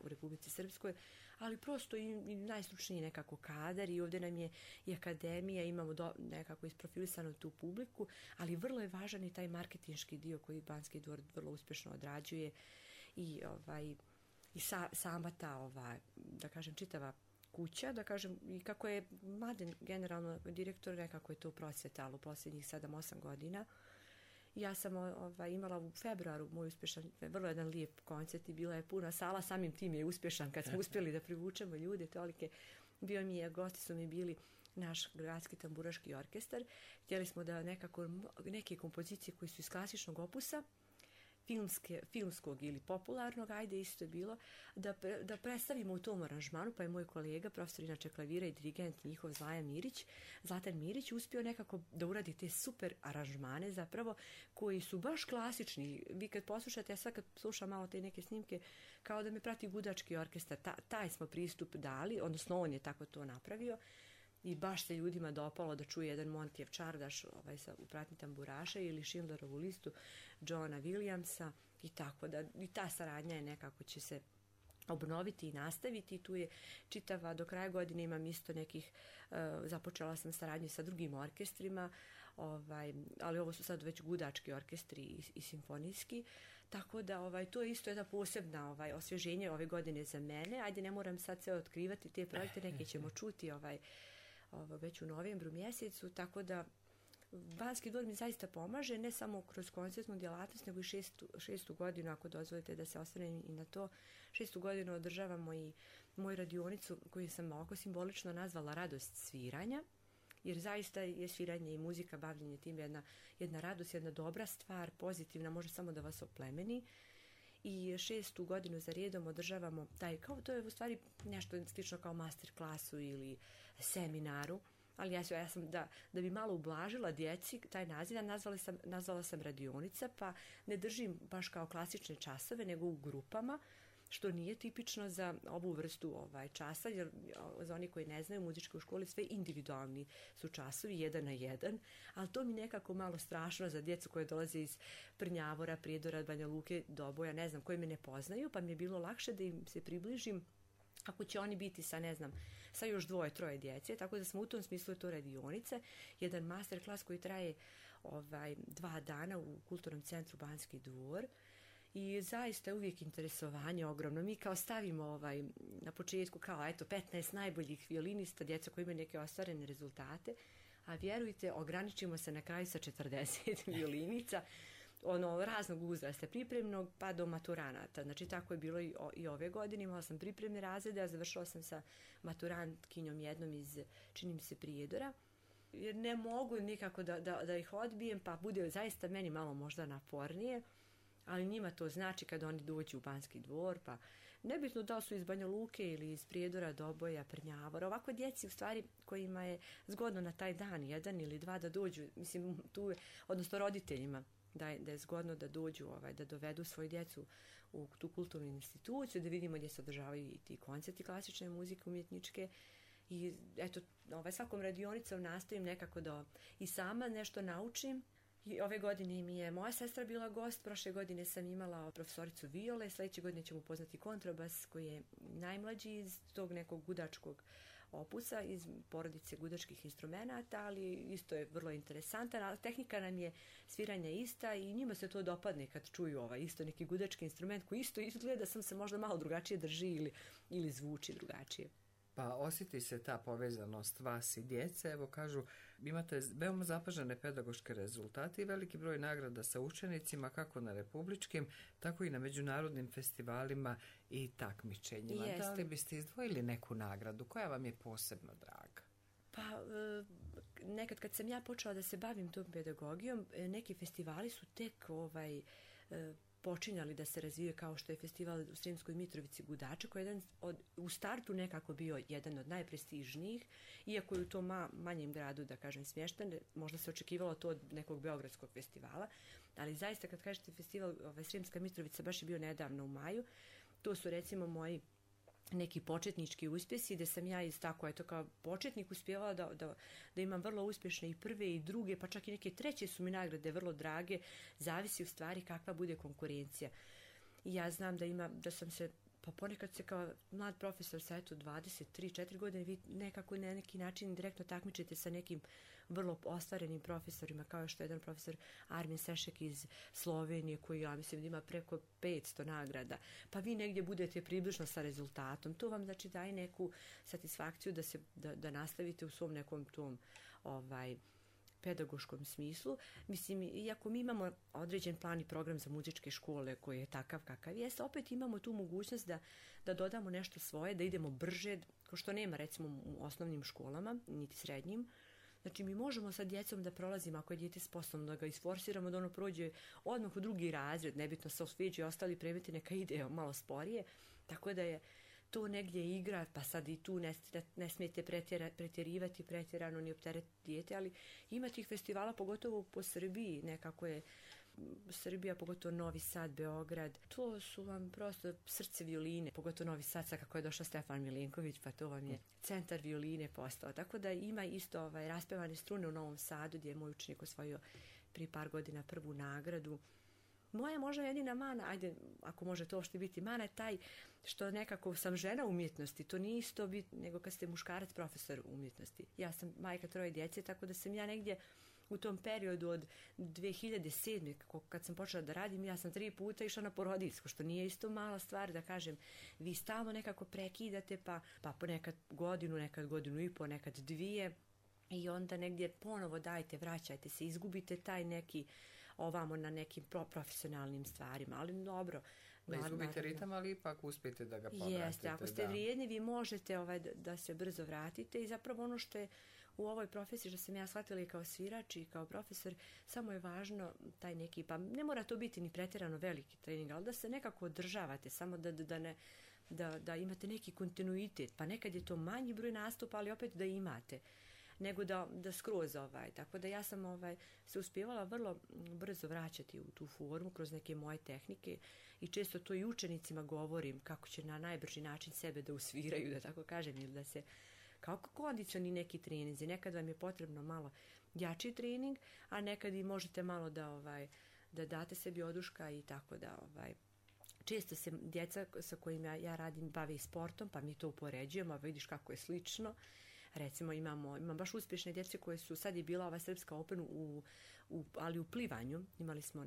u Republici Srpskoj, ali prosto i najstručniji nekako kadar, i ovdje nam je i akademija, imamo nekako isprofilisanu tu publiku, ali vrlo je važan i taj marketinški dio koji Banski dvor vrlo uspješno odrađuje i sama ta, da kažem, čitava kuća, da kažem, i kako je Mladen generalno direktor, nekako je to prosvjetalo u posljednjih 7-8 godina. Ja sam imala u februaru moj uspješan, vrlo jedan lijep koncert i bila je puna sala, samim tim je uspješan kad smo uspjeli da privučemo ljude, tolike. Gosti su mi bili naš gradski tamburaški orkestar. Htjeli smo da nekako neke kompozicije koji su iz klasičnog opusa, filmskog ili popularnog, ajde, isto je bilo, da predstavimo u tom aranžmanu, pa je moj kolega, profesor inače klavira i dirigent njihov Zlatan Mirić, uspio nekako da uradi te super aranžmane zapravo, koji su baš klasični. Vi kad poslušate, ja sad kad slušam malo te neke snimke, kao da me prati gudački orkestar, taj smo pristup dali, odnosno on je tako to napravio. I baš se ljudima dopalo da čuje jedan Montijev čardaš u pratnji tamburaša ili Schindlerovu listu Johna Williamsa, i tako da i ta saradnja je nekako će se obnoviti i nastaviti. Tu je čitava, do kraja godine imam isto nekih, započela sam saradnju sa drugim orkestrima, ali ovo su sad već gudački orkestri i simfonijski, tako da to je isto jedna posebna osvježenje ove godine za mene. Ajde, ne moram sad sve otkrivati te projekte, neke ćemo čuti već u novembru mjesecu, tako da Banski dvor mi zaista pomaže, ne samo kroz koncertnu djelatnost, nego i šestu godinu, ako dozvolite da se osvrnem i na to. 6. godinu održavamo i moju radionicu koju sam ovako simbolično nazvala Radost sviranja, jer zaista je sviranje i muzika, bavljenje tim jedna radost, jedna dobra stvar, pozitivna, može samo da vas oplemeni. I 6. godinu za redom održavamo to je u stvari nešto slično kao master klasu ili seminaru, ali ja sam da bi malo ublažila djeci taj naziv, nazvala sam radionica, pa ne držim baš kao klasične časove, nego u grupama, što nije tipično za ovu vrstu časa, jer za oni koji ne znaju, u muzičkoj školi sve individualni su časovi, 1 na 1, ali to mi nekako malo strašno za djecu koje dolaze iz Prnjavora, Prijedora, Banja Luke, Doboja, ne znam, koji me ne poznaju, pa mi je bilo lakše da im se približim ako će oni biti sa još 2-3 djece, tako da smo u tom smislu to radionice, jedan master klas koji traje 2 dana u Kulturnom centru Banski dvor. I zaista je uvijek interesovanje ogromno. Mi kao stavimo na početku kao 15 najboljih violinista, djeca koji imaju neke ostvarene rezultate, a vjerujte, ograničimo se na kraju sa 40 violinica. raznog uzrasta, pripremnog pa do maturanata. Znači tako je bilo i ove godine, imala sam pripremne razrede, a završila sam sa maturantkinjom jednom iz, čini mi se, Prijedora. Jer ne mogu nikako da ih odbijem, pa bude zaista meni malo možda napornije, ali njima to znači kad oni dođu u Banski dvor, pa nebitno da li su iz Banja Luke ili iz Prijedora, Doboja, Prnjavora, ovako djeci u stvari kojima je zgodno na taj dan, 1 ili 2 da dođu, mislim tu, odnosno roditeljima, da je zgodno da dođu, da dovedu svoju djecu u tu kulturnu instituciju, da vidimo gdje se održavaju i ti koncerti klasične muzike, umjetničke. I eto, svakom radionicom nastojim nekako da i sama nešto naučim. I ove godine mi je moja sestra bila gost, prošle godine sam imala profesoricu Viole, sljedeće godine ćemo upoznati kontrabas koji je najmlađi iz tog nekog gudačkog opusa, iz porodice gudačkih instrumenata, ali isto je vrlo interesantan. Tehnika nam je sviranja ista i njima se to dopadne kad čuju isto neki gudački instrument koji isto izgleda, sam se možda malo drugačije drži ili zvuči drugačije. Pa osjeti se ta povezanost vas i djece. Evo kažu, imate veoma zapažene pedagoške rezultate i veliki broj nagrada sa učenicima, kako na republičkim, tako i na međunarodnim festivalima i takmičenjima. Jeste. Da li biste izdvojili neku nagradu koja vam je posebno draga? Pa nekad kad sam ja počela da se bavim tom pedagogijom, neki festivali su tek počinjali da se razvije, kao što je festival u Sremskoj Mitrovici Gudače, koji je u startu nekako bio jedan od najprestižnijih, iako je u tom manjem gradu, da kažem, smješten, možda se očekivalo to od nekog beogradskog festivala, ali zaista kad kažete festival Sremska Mitrovica, baš je bio nedavno u maju, to su recimo moji neki početnički uspjesi, gdje sam ja kao početnik uspjevala da imam vrlo uspješne i prve i druge, pa čak i neke treće su mi nagrade vrlo drage, zavisi u stvari kakva bude konkurencija. I ja znam da sam se, pa ponekad se kao mlad profesor sa 23-4 godine vi nekako na neki način direktno takmičite sa nekim vrlo ostvarenim profesorima, kao što je jedan profesor Armin Sešek iz Slovenije, koji ja mislim da ima preko 500 nagrada, pa vi negdje budete približno sa rezultatom. To vam znači daje neku satisfakciju da nastavite u svom nekom tom pedagoškom smislu. Mislim, iako mi imamo određen plan i program za muzičke škole koji je takav kakav jest, opet imamo tu mogućnost da dodamo nešto svoje, da idemo brže, kao što nema recimo u osnovnim školama, niti srednjim. Znači, mi možemo sa djecom da prolazimo, ako je dijete sposobno, da ga isforsiramo, da ono prođe odmah u drugi razred, nebitno se osveđe i ostali predmeti, neka ide malo sporije, tako da je to negdje igra, pa sad i tu ne smijete pretjerivati pretjerano ni opteretiti dijete, ali ima tih festivala, pogotovo po Srbiji, nekako je Srbija, pogotovo Novi Sad, Beograd, to su vam prosto srce violine, pogotovo Novi Sad, sad kako je došao Stefan Milenković, pa to vam je centar violine postao. Tako da ima isto raspevane strune u Novom Sadu, gdje je moj učenik osvojio prije par godina prvu nagradu. Moja možda jedina mana, ajde, ako može to uopšte biti mana, je taj što nekako sam žena umjetnosti, to nije isto nego kad ste muškarac profesor umjetnosti. Ja sam majka 3 djece, tako da sam ja negdje u tom periodu od 2007. kad sam počela da radim, ja sam 3 puta išla na porodiljsko, što nije isto mala stvar, da kažem, vi stalno nekako prekidate, pa ponekad godinu, nekad godinu i po, nekad 2, i onda negdje ponovo dajte, vraćajte se, izgubite taj neki ovamo na nekim profesionalnim stvarima, ali dobro. Izgubite ritam, ali ipak uspijete da ga povratite. Jeste, ako ste vrijedni, vi možete da se brzo vratite, i zapravo ono što je u ovoj profesiji, što sam ja shvatila i kao svirač i kao profesor, samo je važno taj neki, pa ne mora to biti ni pretjerano veliki trening, ali da se nekako održavate, samo da imate neki kontinuitet, pa nekad je to manji broj nastupa, ali opet da imate, nego da skroz Tako da ja sam se uspijevala vrlo brzo vraćati u tu formu kroz neke moje tehnike, i često to i učenicima govorim kako će na najbrži način sebe da usviraju, da tako kažem, ili da se kao kondicioni neki treninzi. Nekad vam je potrebno malo jači trening, a nekad i možete malo da date sebi oduška, i tako da često se djeca sa kojima ja radim bave i sportom, pa mi to upoređujemo, a vidiš kako je slično. Recimo imam baš uspješne djece koje su, sad je bila Srpska Open ali u plivanju. Imali smo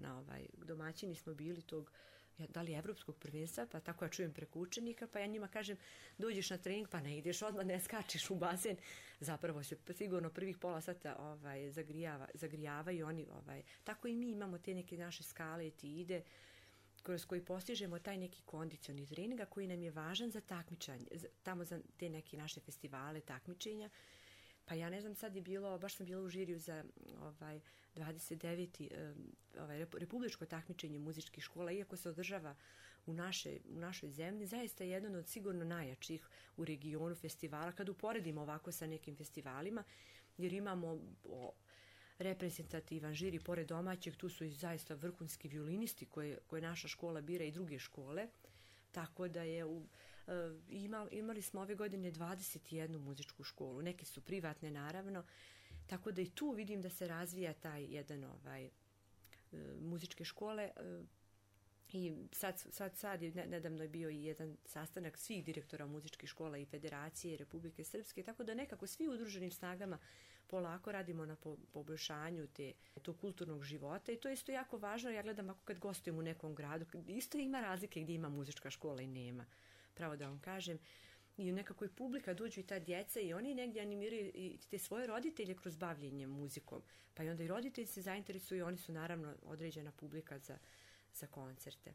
domaćini smo bili tog da li evropskog prvenstva, pa tako ja čujem preko učenika, pa ja njima kažem dođeš na trening, pa ne ideš odmah, ne skačeš u bazen. Zapravo se sigurno prvih pola sata zagrijavaju oni. Tako i mi imamo te neke naše skale, etide, kroz koji postižemo taj neki kondicioni treninga koji nam je važan za takmičanje, tamo za te neke naše festivale, takmičenja. Pa ja ne znam, sad je bilo, baš sam bila u žiriju za 29. republičko takmičenje muzičkih škola, iako se održava u našoj zemlji, zaista je jedan od sigurno najjačih u regionu festivala, kad uporedimo ovako sa nekim festivalima, jer imamo reprezentativan žiri, pored domaćeg, tu su i zaista vrhunski violinisti koje naša škola bira i druge škole, tako da je imali smo ove godine 21 muzičku školu, neke su privatne naravno, tako da i tu vidim da se razvija taj jedan muzičke škole. I sad je nedavno je bio i jedan sastanak svih direktora muzičkih škola i Federacije Republike Srpske, tako da nekako svi udruženim snagama polako radimo na poboljšanju tog kulturnog života i to je isto jako važno. Ja gledam ako kad gostujem u nekom gradu, isto ima razlike gdje ima muzička škola i nema, pravo da vam kažem. I nekako i publika, dođu i ta djeca i oni negdje animiraju i te svoje roditelje kroz bavljenje muzikom. Pa i onda i roditelji se zainteresuju i oni su naravno određena publika za koncerte.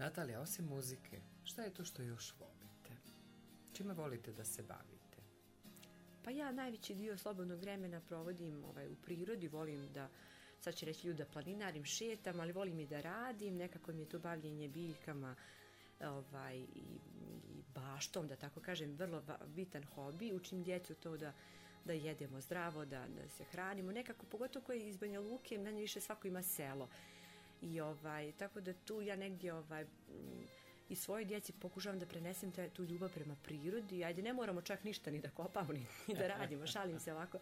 Natalija, osim muzike, šta je to što još volite? Čime volite da se bavite? Pa ja najveći dio slobodnog vremena provodim u prirodi, volim da, sad će reći ljudi da planinarim, šetam, ali volim i da radim, nekako mi je to bavljenje biljkama i baštom, da tako kažem, vrlo bitan hobi. Učim djecu to da jedemo zdravo, da se hranimo, nekako pogotovo koji iz Banja Luke, manje više svako ima selo. I tako da tu ja negdje i svojoj djeci pokušavam da prenesem tu ljubav prema prirodi. Ajde, ne moramo čak ništa ni da kopamo, ni da radimo, šalim se ovako.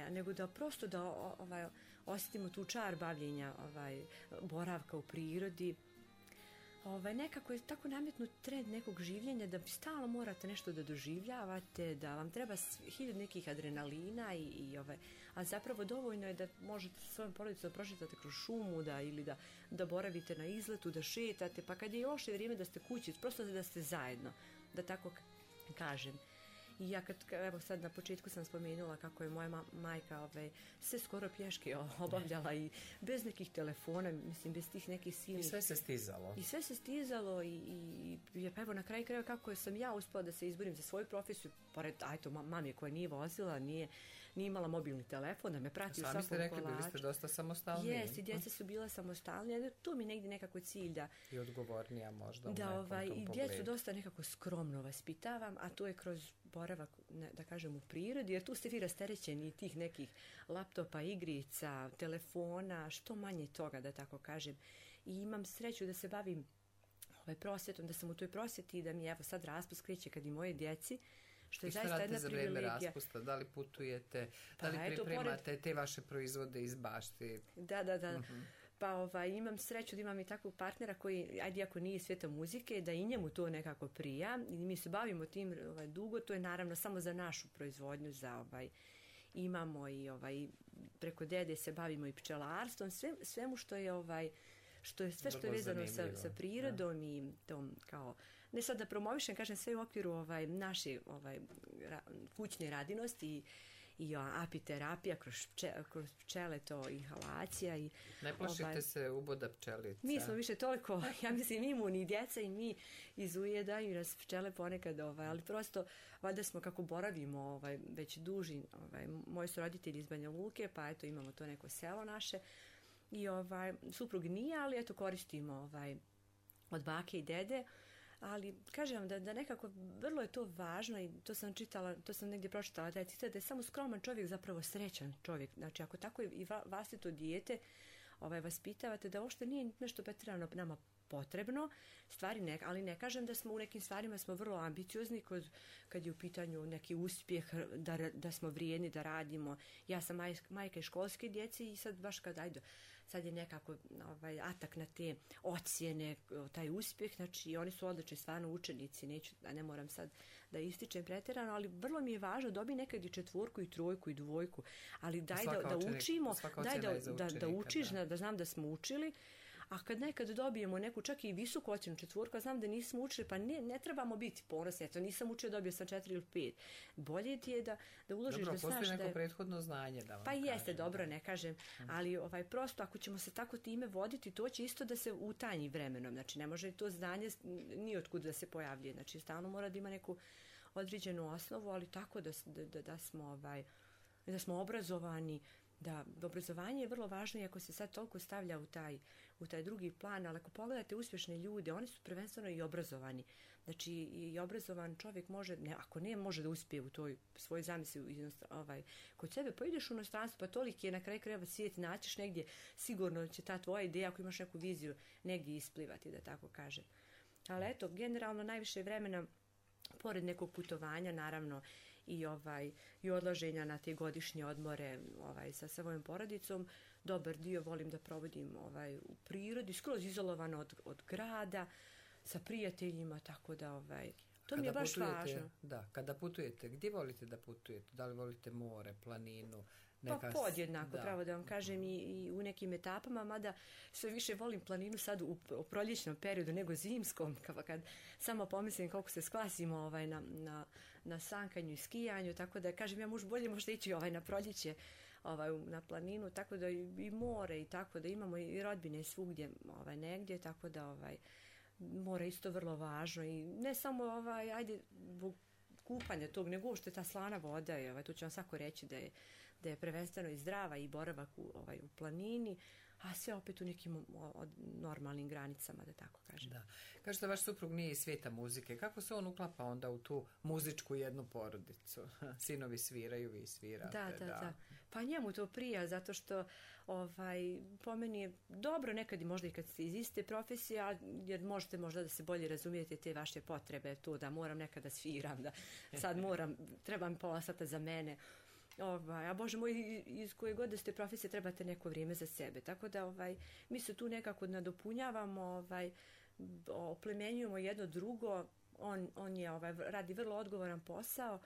Nego da prosto da osjetimo tu čar bavljenja, boravka u prirodi. Nekako je tako nametnut trend nekog življenja da stalno morate nešto da doživljavate, da vam treba 1000 nekih adrenalina a zapravo dovoljno je da možete sa svojom porodicom prošetate kroz šumu ili da boravite na izletu, da šetate, pa kad je loše vrijeme da ste kući, prosto da ste zajedno, da tako kažem. I ja evo sad na početku sam spomenula kako je moja majka sve skoro pješke obavljala i bez nekih telefona, mislim bez tih nekih silnih. I sve se stizalo. I sve se stizalo i pa evo na kraju krajeva kako sam ja uspela da se izborim za svoju profesiju, pored mami koja nije vozila, nije imala mobilni telefon, da me prati u svakom kolaču. Sami ste rekli, bili ste dosta samostalni. Jes, i djeca su bila samostalnija, tu mi negdje nekako cilj da... I odgovornija možda u nekom tom pogledu. I djecu dosta nekako skromno vaspitavam, a to je kroz boravak, da kažem, u prirodi, jer tu ste vi rasterećeni tih nekih laptopa, igrica, telefona, što manje toga, da tako kažem. I imam sreću da se bavim prosvjetom, da sam u toj prosvjeti i da mi evo sad raspust kreće kad i moje djeci, što je zaista jedna privilegija. I što radite za vreme raspusta? Da li putujete, da li pripremate te vaše proizvode iz bašti? Da. Pa imam sreću da imam i takvog partnera koji, ajde ako nije svijeta muzike, da i njemu to nekako prija. I mi se bavimo tim dugo, to je naravno samo za našu proizvodnju, za imamo i preko dede se bavimo i pčelarstvom, svemu što je sve što je vezano sa prirodom i tom kao, ne sad da promovišem, kažem sve u okviru naše kućne radinosti i apiterapija kroz pčele, to inhalacija. Ne plašite se uboda pčelica? Mi smo više toliko, ja mislim, imuni, djeca i mi izujedaju nas pčele ponekad, ali prosto, valjda smo kako boravimo već duži, moji su roditelji iz Banja Luke, pa eto imamo to neko selo naše i suprug nije, ali eto koristimo od bake i dede. Ali kažem da nekako vrlo je to važno i to sam čitala, to sam negdje pročitala taj citat, da je samo skroman čovjek zapravo srećan čovjek. Znači ako tako i vlastito dijete vaspitavate, da uopšte nije nešto pretjerano nama potrebno, stvari ali ne kažem da smo u nekim stvarima smo vrlo ambiciozni kad je u pitanju neki uspjeh, da smo vrijedni, da radimo. Ja sam majka i školske djece i sad baš sad je nekako atak na te ocjene, taj uspjeh, znači oni su odlični stvarno učenici, ne moram sad da ističem pretjerano, ali vrlo mi je važno dobi nekad i 4 i 3 i 2, ali daj da učimo, daj da učiš, da znam da smo učili. A kad nekad dobijemo neku čak i visoku ocjenu 4, znam da nismo učili, pa ne trebamo biti ponosni, eto nisam učio, dobio sam 4 ili 5. Bolje ti je da uložiš da znaš da je... Dobro, postoji neko prethodno znanje da vam kažem. Pa jeste, dobro, ne kažem, ali prosto ako ćemo se tako time voditi, to će isto da se utanji vremenom, znači ne može to znanje ni otkud da se pojavljuje, znači stalno mora da ima neku određenu osnovu, ali tako da smo obrazovani, da obrazovanje je vrlo važno, iako se sad toliko stavlja u taj drugi plan, ali ako pogledate uspješne ljude, oni su prvenstveno i obrazovani. Znači i obrazovan čovjek ako ne može da uspije u toj svojoj zamisli kod sebe, pa ideš u inostranstvo, pa toliki je na kraju krajeva svijet, naćiš negdje, sigurno će ta tvoja ideja, ako imaš neku viziju, negdje isplivati, da tako kažem. Ali eto, generalno najviše vremena, pored nekog putovanja, naravno, i odlaženja na te godišnje odmore sa svojom porodicom, dobar dio volim da provodim u prirodi, skroz izolovano od grada, sa prijateljima, tako da to mi je baš važno. Da, kada putujete, gdje volite da putujete? Da li volite more, planinu? Pa podjednako, pravo da vam kažem, i u nekim etapama, mada sve više volim planinu sad u proljećnom periodu nego zimskom, kad samo pomislim koliko se sklasimo na sankanju i skijanju, tako da kažem ja bolje možda ići na proljeće na planinu, tako da i more i tako da imamo i rodbine svugdje negdje, tako da more isto vrlo važno i ne samo ajde kupanja tog, nego što je ta slana voda, tu ću vam svako reći da je prvenstveno i zdrava i boravak u planini, a sve opet u nekim normalnim granicama, da tako kažem. Da. Kažete, vaš suprug nije iz svijeta muzike. Kako se on uklapa onda u tu muzičku jednu porodicu? Sinovi sviraju, vi svirate. Da. Pa njemu to prija, zato što po meni je dobro nekad i možda i kad ste iz iste profesije, jer možete možda da se bolje razumijete te vaše potrebe, to da moram nekad da sviram, da sad treba mi pola sata za mene. A Bože moj, iz koje god da ste profesije trebate neko vrijeme za sebe. Tako da mi se tu nekako nadopunjavamo, oplemenjujemo jedno drugo. On je radi vrlo odgovoran posao,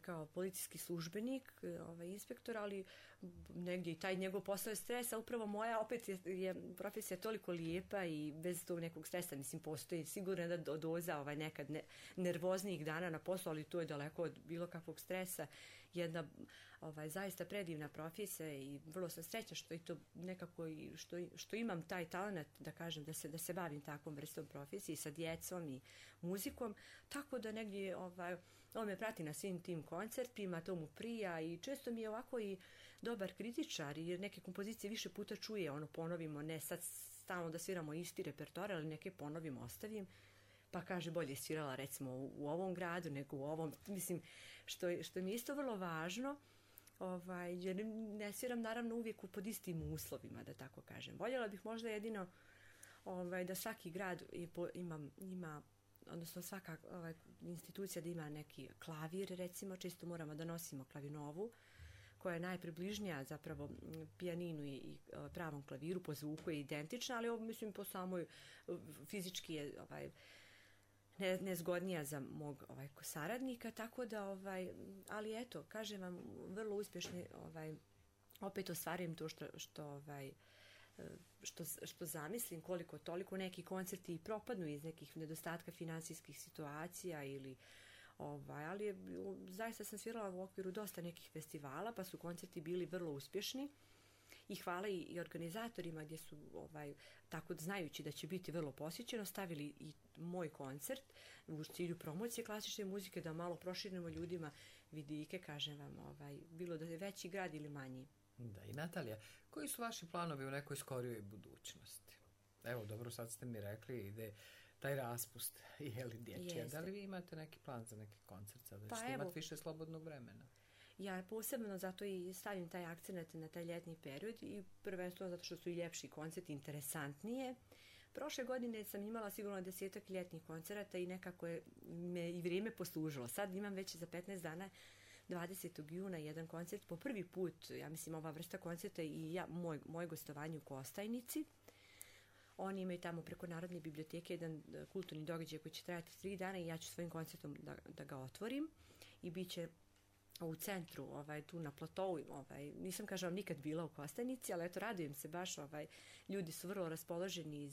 kao policijski službenik, inspektor, ali negdje i taj njegov posao je stres, a upravo moja opet je profesija toliko lijepa i bez tog nekog stresa, mislim, postoji sigurno da doza nekad nervoznijih dana na poslu, ali to je daleko od bilo kakvog stresa. Jedna zaista predivna profesija i vrlo sam srećna što i to nekako što imam taj talent da kažem da se bavim takvom vrstom profesije sa djecom i muzikom, tako da negdje on me prati na svim tim koncertima, to mu prija i često mi je ovako i dobar kritičar jer neke kompozicije više puta čuje, ponovimo, ne sad stalno da sviramo isti repertoar, ali neke ponovim, ostavim, pa kaže bolje je svirala recimo u ovom gradu nego u ovom, mislim, što mi je isto vrlo važno, jer ne sviram naravno uvijek pod istim uslovima, da tako kažem. Voljela bih možda jedino da svaki grad ima, odnosno svaka institucija da ima neki klavir, recimo, često moramo da nosimo klavinovu, koja je najpribližnija zapravo pijaninu i pravom klaviru, po zvuku je identična, ali mislim po samoj fizički je nezgodnija za mog saradnika, tako da ali eto, kažem vam, vrlo uspješni opet ostvarujem to što zamislim, koliko toliko neki koncerti i propadnu iz nekih nedostatka financijskih situacija ili ali zaista sam svirala u okviru dosta nekih festivala, pa su koncerti bili vrlo uspješni i hvala i organizatorima gdje su tako znajući da će biti vrlo posjećeno stavili i moj koncert u cilju promocije klasične muzike, da malo proširimo ljudima vidike, kažem vam, bilo da je veći grad ili manji. Da, i Natalija, koji su vaši planovi u nekoj skorijoj budućnosti? Evo, dobro, sad ste mi rekli, ide taj raspust, je li dječje? Da li vi imate neki plan za neki koncert sada? Pa ćete imati više slobodnog vremena? Ja posebno zato i stavim taj akcent na taj ljetni period i prvenstveno zato što su i ljepši koncerti, interesantnije. Prošle godine sam imala sigurno 10 ljetnih koncerata i nekako me i vrijeme poslužilo. Sad imam već za 15 dana 20. juna jedan koncert. Po prvi put, ja mislim, ova vrsta koncerta i moje gostovanje u Kostajnici. Oni imaju tamo preko Narodne biblioteke jedan kulturni događaj koji će trajati 3 dana i ja ću svojim koncertom da ga otvorim i bit će u centru, tu na platovu, nisam, kažem, nikad bila u Kostajnici, ali eto, radujem se baš, ljudi su vrlo raspoloženi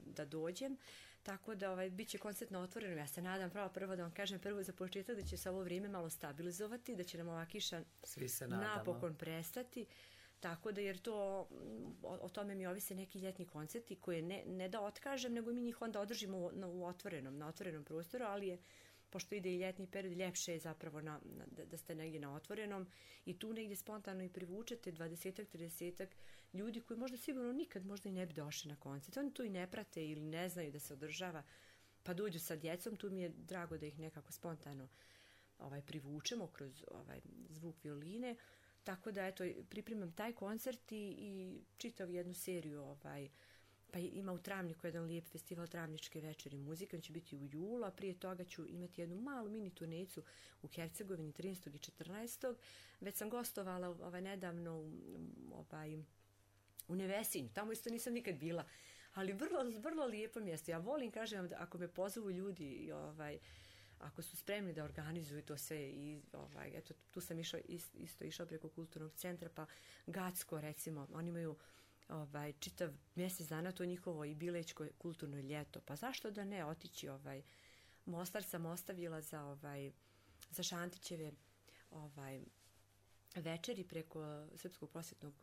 da dođem, tako da bit će koncert na otvorenom. Ja se nadam prvo da vam kažem prvo za početak da će se ovo vrijeme malo stabilizovati, da će nam ova kiša napokon prestati, tako da, jer to, o tome mi ovise neki ljetni koncerti koje ne da otkažem, nego mi njih onda održimo na otvorenom prostoru, ali je, pošto ide i ljetni period, ljepše je zapravo da ste negdje na otvorenom i tu negdje spontano i privučete 20-30 ljudi koji možda sigurno nikad možda i ne bi došli na koncert. Oni tu i ne prate ili ne znaju da se održava, pa dođu sa djecom, tu mi je drago da ih nekako spontano privučemo kroz zvuk violine. Tako da, eto, pripremam taj koncert i čitav jednu seriju, pa ima u Travniku jedan lijep festival Travničke večeri muzike, on će biti u julu, a prije toga ću imati jednu malu mini turnejicu u Hercegovini 13. i 14. Već sam gostovala nedavno u Nevesinju, tamo isto nisam nikad bila, ali vrlo, vrlo lijepo mjesto. Ja volim, kažem vam, da ako me pozovu ljudi, ako su spremni da organizuju to sve i eto, tu sam isto išla preko kulturnog centra, pa Gacko, recimo, oni imaju čitav mjesec dana, to njihovo i Bilečko kulturno ljeto, pa zašto da ne otići, Mostar sam ostavila za Šantićeve večeri preko Srpskog prosvjetnog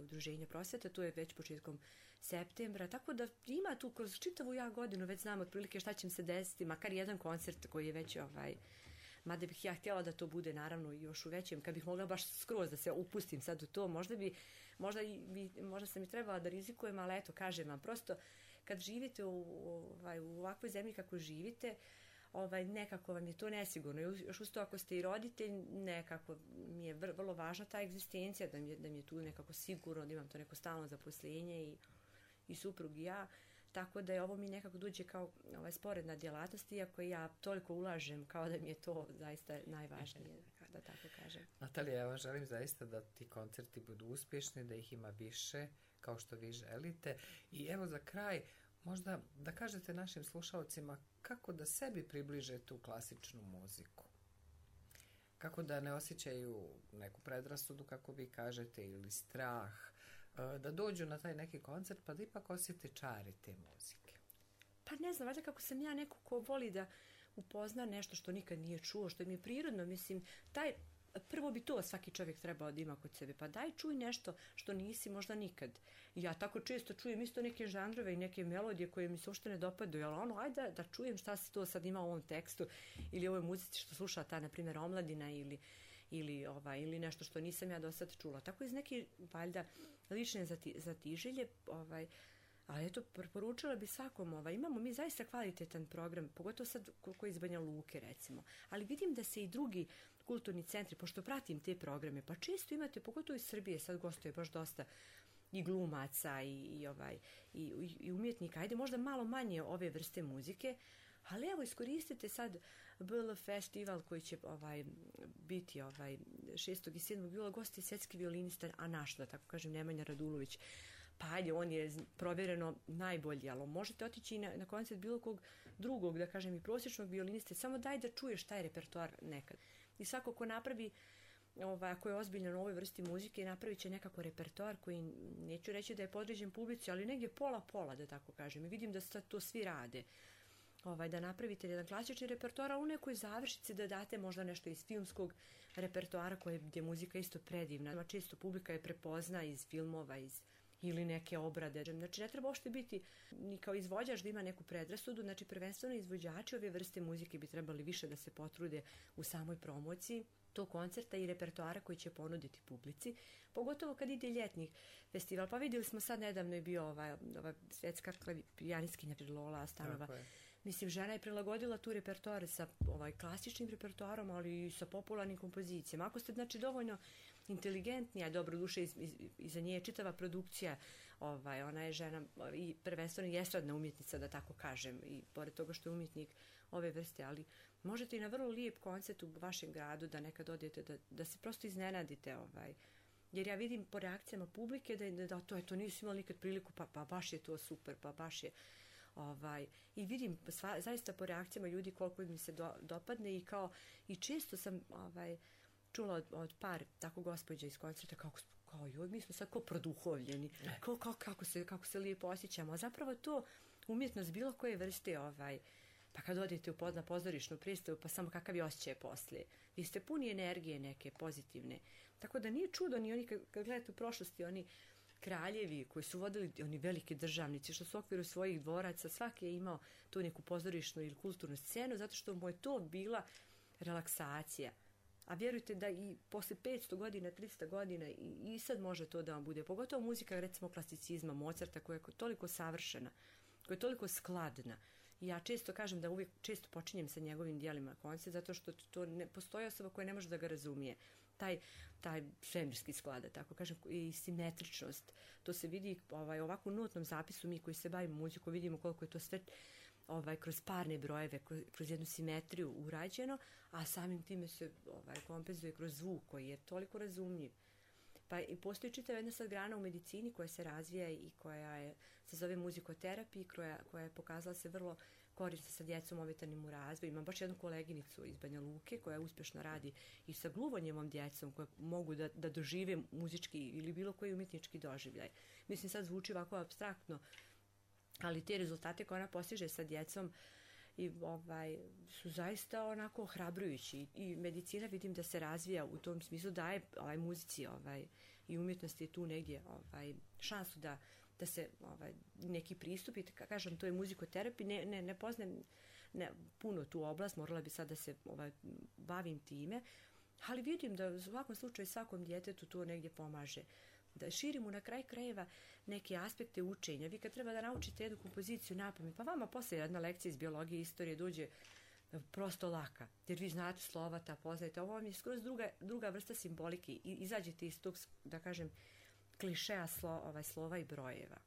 udruženja prosvjeta, to je već početkom septembra, tako da ima tu kroz čitavu godinu, već znam otprilike šta će se desiti, makar jedan koncert koji je već mada bih ja htjela da to bude naravno još u većem, kad bih mogla baš skroz da se upustim sad u to, možda sam i trebala da rizikujem, ali eto, kažem vam, prosto kad živite u ovakvoj zemlji kako živite, nekako vam je to nesigurno. Još uz to ako ste i roditelj, nekako mi je vrlo važna ta egzistencija, da mi je tu nekako sigurno, da imam to neko stalno zaposlenje i suprug i ja. Tako da je ovo mi nekako dođe kao sporedna djelatnost, iako ja toliko ulažem kao da mi je to zaista najvažnije, da tako kažem. Natalija, ja vam želim zaista da ti koncerti budu uspješni, da ih ima više kao što vi želite. I evo za kraj, možda da kažete našim slušalcima kako da sebi približe tu klasičnu muziku. Kako da ne osjećaju neku predrasudu, kako vi kažete, ili strah, da dođu na taj neki koncert pa da ipak osjete čari te muzike? Pa ne znam, valjda kako sam ja neko ko voli da upozna nešto što nikad nije čuo, što mi je prirodno, mislim, prvo bi to svaki čovjek trebao da ima kod sebe, pa daj čuj nešto što nisi možda nikad. Ja tako često čujem isto neke žanrove i neke melodije koje mi se uopšte ne dopadaju, ali ajde da čujem šta se to sad ima u ovom tekstu ili ovoj muzici što sluša ta, na primjer, omladina ili nešto što nisam ja do sad čula. Tako iz neke, valjda, lične zatiželje, ali eto, preporučila bi svakom, imamo mi zaista kvalitetan program, pogotovo sad koji iz Banja Luke, recimo. Ali vidim da se i drugi kulturni centri, pošto pratim te programe, pa često imate, pogotovo iz Srbije, sad gostuje baš dosta i glumaca i umjetnika, ajde možda malo manje ove vrste muzike, ali evo iskoristite sad BL festival koji će biti 6. i 7. jula, gosti svetski violinista, a naš, da tako kažem, Nemanja Radulović. Pa ajde, on je provjereno najbolji, ali možete otići na koncert bilo kog drugog, da kažem, i prosječnog violiniste, samo daj da čuješ taj repertoar nekad. I svako ko napravi, ako je ozbiljan u ovoj vrsti muzike, napravit će nekako repertoar koji, neću reći da je podređen publici, ali negdje pola, da tako kažem. I vidim da to svi rade. Da napravite jedan klasični repertoar, a u nekoj završici da date možda nešto iz filmskog repertoara gdje je muzika isto predivna. Često publika je prepozna iz filmova, ili neke obrade. Znači, ne treba uopšte biti ni kao izvođač da ima neku predrasudu, znači prvenstveno izvođači ove vrste muzike bi trebali više da se potrude u samoj promociji tog koncerta i repertoara koji će ponuditi publici, pogotovo kad ide ljetni festival. Pa vidjeli smo sad, nedavno je bio ova svetska pijanistkinja Lola Stanova. Mislim, žena je prilagodila tu repertoar sa klasičnim repertoarom, ali i sa popularnim kompozicijama. Ako ste, znači, dovoljno inteligentnija, dobro duše, iza nje je čitava produkcija, ona je žena i prvenstveno estradna umjetnica, da tako kažem, i pored toga što je umjetnik ove vrste, ali možete i na vrlo lijep koncert u vašem gradu da nekad odete, da se prosto iznenadite, jer ja vidim po reakcijama publike da to nisu imali nikad priliku, pa baš je to super, pa baš je i vidim zaista po reakcijama ljudi koliko mi se dopadne i često sam čula od par tako gospođa iz koncerta kao joj, mi smo sad kao produhovljeni, kako se lijepo osjećamo, a zapravo to umjetnost bilo koje vrste, pa kad odete na pozorišnu predstavu, pa samo kakav je osjećaj poslije. Vi ste puni energije neke pozitivne, tako da nije čudo ni oni kad gledate u prošlosti, oni kraljevi koji su vodili, oni veliki državnici što su u okviru svojih dvoraca, svaki je imao tu neku pozorišnu ili kulturnu scenu zato što mu je to bila relaksacija. A vjerujte da i posle 500 godina, 300 godina i sad može to da vam bude. Pogotovo muzika, recimo klasicizma, Mozarta, koja je toliko savršena, koja je toliko skladna. I ja često kažem da uvijek često počinjem sa njegovim dijelima koncert, zato što to ne postoji osoba koja ne može da ga razumije. Taj svemirski sklad, tako kažem, i simetričnost. To se vidi ovako u notnom zapisu, mi koji se bavimo muzikom, vidimo koliko je to sve kroz parne brojeve, kroz jednu simetriju urađeno, a samim time se kompenzuje kroz zvuk koji je toliko razumljiv. Pa i postoji čitava jedna sad grana u medicini koja se razvija i koja se zove muzikoterapija, koja je pokazala se vrlo korisna sa djecom ometanim u razvoju. Imam baš jednu koleginicu iz Banja Luke koja uspješno radi i sa gluvonjevom djecom koja mogu da dožive muzički ili bilo koji umjetnički doživljaj. Mislim, sad zvuči ovako apstraktno, ali te rezultate koje ona postiže sa djecom su zaista onako ohrabrujući i medicina vidim da se razvija u tom smislu, daje muzici i umjetnosti je tu negdje šansu da se neki pristup, i kažem, to je muzikoterapija, ne poznajem puno tu oblast, morala bi sad da se bavim time, ali vidim da u svakom slučaju svakom djetetu to negdje pomaže. Da širimo na kraj krajeva neke aspekte učenja. Vi kad treba da naučite jednu kompoziciju napamet, pa vama poslije jedna lekcija iz biologije i istorije dođe prosto laka, jer vi znate slovata, poznajete. Ovo vam je skroz druga vrsta simbolike i izađete iz tog, da kažem, klišeja slova i brojeva.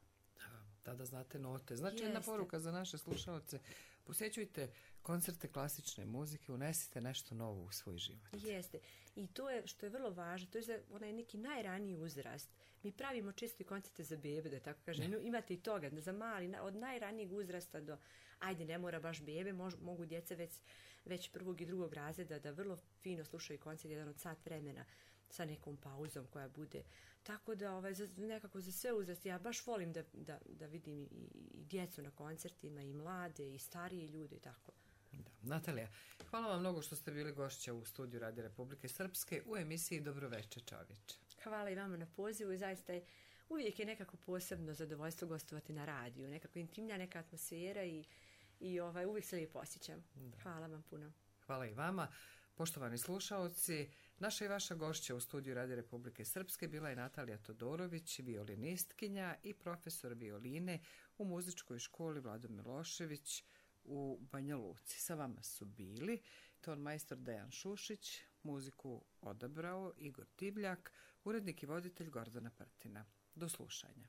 Da znate note. Znači, jedna poruka za naše slušalce. Posjećujte koncerte klasične muzike, unesite nešto novo u svoj život. Jeste. I to je, što je vrlo važno, to je za onaj neki najraniji uzrast. Mi pravimo često i koncerte za bebe, da tako kažem. Imate i toga, za mali, od najranijeg uzrasta do, ajde, ne mora baš bebe, mogu djeca već već prvog i drugog razreda da vrlo fino slušaju koncert, jedan od sat vremena sa nekom pauzom koja bude. Tako da nekako za sve uzrasti, ja baš volim da vidim i djecu na koncertima, i mlade, i starije ljude i tako. Da. Natalija, hvala vam mnogo što ste bili gošća u studiju Radio Republike Srpske u emisiji Dobroveče čovječe. Hvala i vama na pozivu i zaista uvijek je nekako posebno zadovoljstvo gostovati na radiju, nekako intimna neka atmosfera i uvijek se lijepo osjećam. Da. Hvala vam puno. Hvala i vama. Poštovani slušaoci, naša i vaša gošća u studiju Radio Republike Srpske bila je Natalija Todorović, violinistkinja i profesor violine u muzičkoj školi Vlado Milošević u Banja Luci. Sa vama su bili ton majstor Dejan Šušić, muziku odabrao Igor Divljak, urednik i voditelj Gordana Prtina. Do slušanja.